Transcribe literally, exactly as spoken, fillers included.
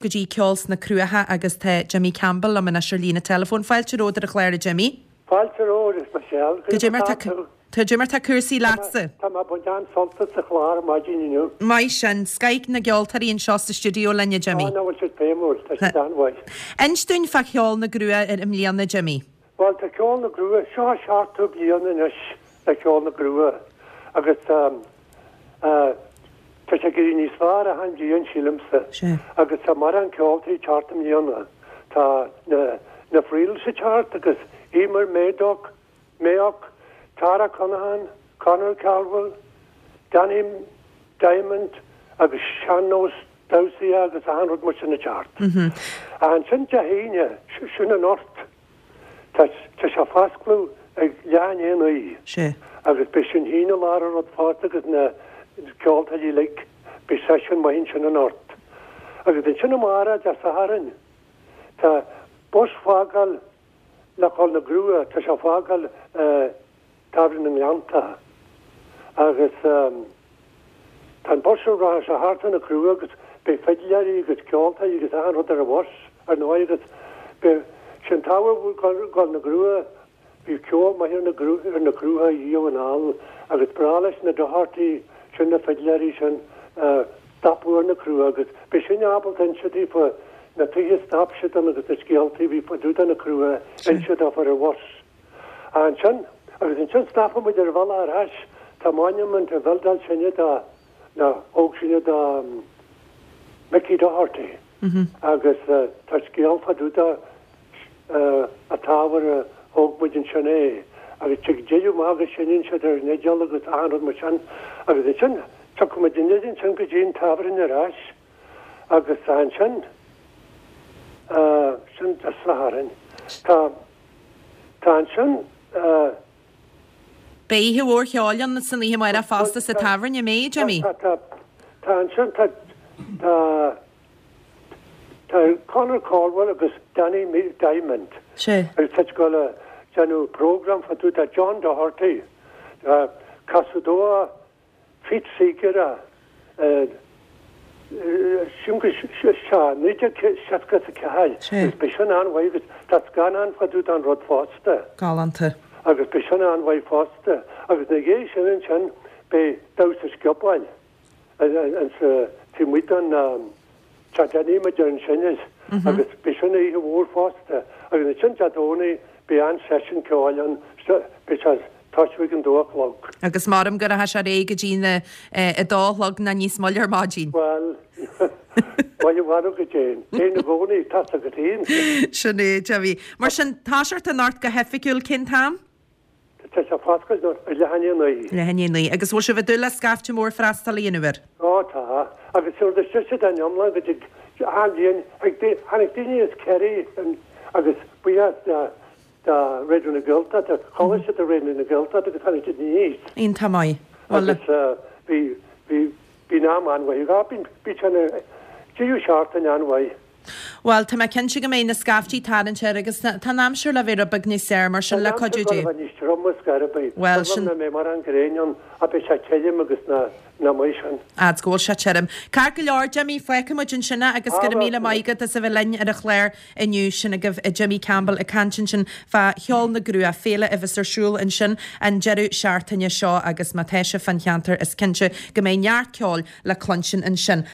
Go dtí Ceol sna Cruacha agus tá Jimmy Campbell liom anois ar líne teileafóin. Fáilte romhat ar an chlár, a Jimmy. Fáilte romhat, Michelle. Cad é mar tá Cad é mar tá cúrsaí leatsa? Tá mé ag baint an-sult as an chlár ar maidin inniu. Maith sin, scoth na gceoltóirí anseo sa stiúideo linn, a Jimmy. Á, nach bhfuil siad feidhmiúil, tá siad an-mhaith. Inis dúinn fá Cheol na gCrua i mbliana, Jimmy. Bhuel, tá Ceol na gCrua, seo an seachtú bliain anois le Ceol na gCrua agus tá sé ag éirí níos fearr achan bhliain, sílimse. Agus tá mórán ceoltóirí ag teacht i mbliana. Tá na na Friels ag teacht agus Emer Mayock, Mayock, Tara Conaghan, Conor Caldwell, Danny Diamond agus sean-nós damhsaí agus achan rud mar sin ag teacht. Ansin Dé hAoine, sin anocht, tá tá sé fá oscailt ag leath i ndiaidh a naoi. Sea. Agus beidh sinn féin i lár an rud fosta agus na ceoltóirí uilig, beidh seisiún maith ansin anocht. Agus ansin amárach, Dé Sathairn, tá bus fágáil le dhul na gCrua, tá sé fágáil Tábhairne na nGleannta agus tá an bus seo rachaidh sé thart ar na Cruacha agus beidh fidléirí agus ceoltóirí agus achan rud ar an bhus ar ndóigh agus beidh sin tábhacht dhul na gCrua. Bhí ceol maith ar na ar na Cruacha riamh anall agus breá leis na Doherty sin na fidléirí sin stopadh ar na Cruacha agus beidh sinn ábalta inse daofa na tithe a stop siad ann agus na scéaltaí a bhí fá dtaobh de na Cruacha inse daofa ar an bhus. Ansin agus ansin stopfaidh muid ar an bhealach ar ais tá monument a bhuildáil sinne do na thóg sinne do Mickey Doherty agus tá scéal fá dtaobh de an tábhairne a thóg muid ansin é agus tig deireadh maith agus seinneann siad ar an fhidil agus achan rud mar sin agus ansin tiocfaidh muid aniar ansin go dtí an tábhairne ar ais agus ansin sin Dé Sathairn. Tá tá ansin Beidh oíche mhór cheoil ann san oíche amárach fosta sa tábhairne, an mbeidh, Jimmy? Tá tá tá ansin tá tá Tá Conor Caldwell agus Danny Diamond Sea. agus tá siad ag dul a déanamh program fá dtaobh de John Doherty casadh dó Pete Seeger sin go sea naoi déag seasca is a ceathair Sea. agus beidh sin an-mhaith agus tá scannán fá dtaobh den rud fosta. Galánta. Agus beidh sin an-mhaith fosta agus ina dhiaidh sin ansin beidh damhsa sciobóil taobh amuigh den Teach Danny mar a deireann sinne agus beidh sin oíche mhór fosta agus ansin Dé Domhnaigh beidh an-seisiún ceoil ann, beidh sé ag tosú ag an dó a chlog. Agus maram go rachaidh sé ar aghaidh go dtí na a dó a chlog nó níos moille ar maidin. Bhuel, bhuel i bhfad ó go déan, déan i gcónaí, tá's agat fhéin. Sin é, Jimmy. Mar sin, toiseacht anocht go hoifigiúil cén t-am? Tá sé fá oscailt ag leath i ndiaidh a naoi. Leath i ndiaidh a naoi. Agus bhfuil sibh ag dúil le scaifte mór freastalaí an uair? Ó tá. Agus sure d'fhan siad an iomlán go dtí achan bhliain. Tháinig daoine as Kerry agus buíochas do do Raidió na Gaeltachta, chuala siad ar Raidió na Gaeltachta agus tháinig siad aníos. Iontach maith. Bhuel. Agus bhí bhí bhí an am an-mhaith. Bhí bhí sé ina deireadh seachtaine an-mhaith. Bhuel, tá mé cinnte go mbeidh na scaiftí tarraingt air agus tá an aimsir le bheith rud beag níos fearr, mar sin, le cuidiú Dé. Tá an aimsir le bheith níos troime scor ar bith. Bhuel, sin. Nach mbeidh mórán gréine ann ach beidh sé tirim agus na na maith sin. Fhad 's go bhfuil sé tirim. Ceart go leor, Jimmy, fágfaidh muid ansin é agus go raibh míle maith agat as a bheith linn ar an chlár inniu. Sin agaibh Jimmy Campbell ag caint ansin fá Cheol na gCruach, féile a bheas ar siúl ansin an deireadh seachtaine seo agus má tá sibh fán cheantar is cinnte go mbeidh neart ceoil le cluinstin ansin.